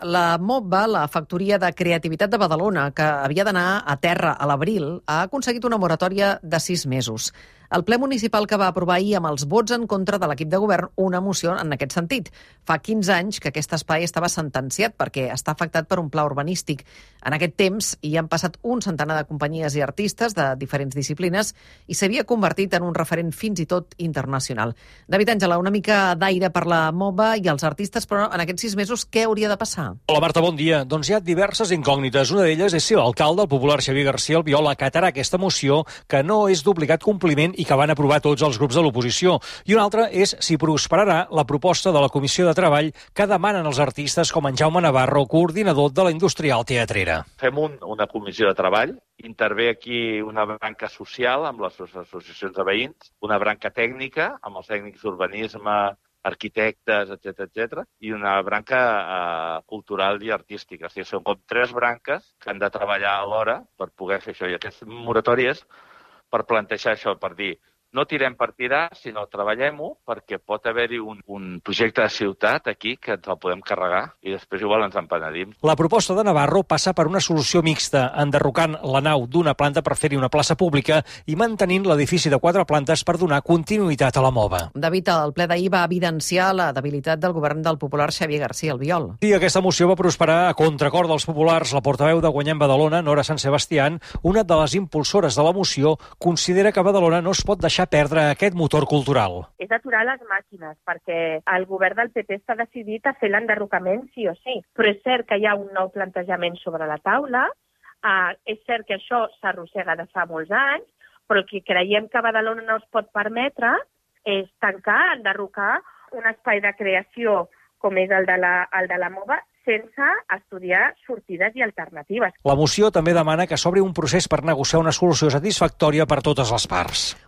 La MOBA, la Factoria de Creativitat de Badalona, que havia d'anar a terra a l'abril, ha aconseguit una moratòria de 6 mesos. El ple municipal que va aprovar ahir amb els vots en contra de l'equip de govern una moció en aquest sentit. Fa 15 anys que aquest espai estava sentenciat perquè està afectat per un pla urbanístic. En aquest temps hi han passat un centenar de companyies i artistes de diferents disciplines i s'havia convertit en un referent fins i tot internacional. David Àngela, una mica d'aire per la MOBA i els artistes, però en aquests 6 mesos què hauria de passar? Hola Marta, bon dia. Doncs hi ha diverses incògnites. Una d'elles és si l'alcalde, el popular Xavier García Albiol, acatarà aquesta moció que no és d'obligat compliment i que van aprovar tots els grups de l'oposició. I una altra és si prosperarà la proposta de la Comissió de Treball que demanen els artistes com en Jaume Navarro, coordinador de la Industrial Teatrera. Fem una comissió de treball, intervé aquí una branca social amb les associacions de veïns, una branca tècnica amb els tècnics d'urbanisme, arquitectes, etc., i una branca cultural i artística. O sigui, són com 3 branques que han de treballar alhora per poder fer això. I aquestes moratòries per plantejar això, per dir, no tirem per tirar, sinó treballem-ho perquè pot haver-hi un projecte de ciutat aquí que ens el podem carregar i després igual ens en penedim. La proposta de Navarro passa per una solució mixta, enderrocant la nau d'una planta per fer-hi una plaça pública i mantenint l'edifici de 4 plantes per donar continuïtat a la MOBA. David, el ple d'ahir va evidenciar la debilitat del govern del popular Xavier García Albiol. Sí, aquesta moció va prosperar a contracor dels populars. La portaveu de Guanyem Badalona, Nora Sant Sebastián, una de les impulsores de la moció, considera que Badalona no es pot deixar perdre aquest motor cultural. És aturar les màquines, perquè el govern del PP està decidit a fer l'enderrocament sí o sí. Però és cert que hi ha un nou plantejament sobre la taula, és cert que això s'arrossega de fa molts anys, però el que creiem que Badalona no es pot permetre és tancar, enderrocar un espai de creació com és el de la MOBA, sense estudiar sortides i alternatives. La moció també demana que s'obri un procés per negociar una solució satisfactòria per totes les parts.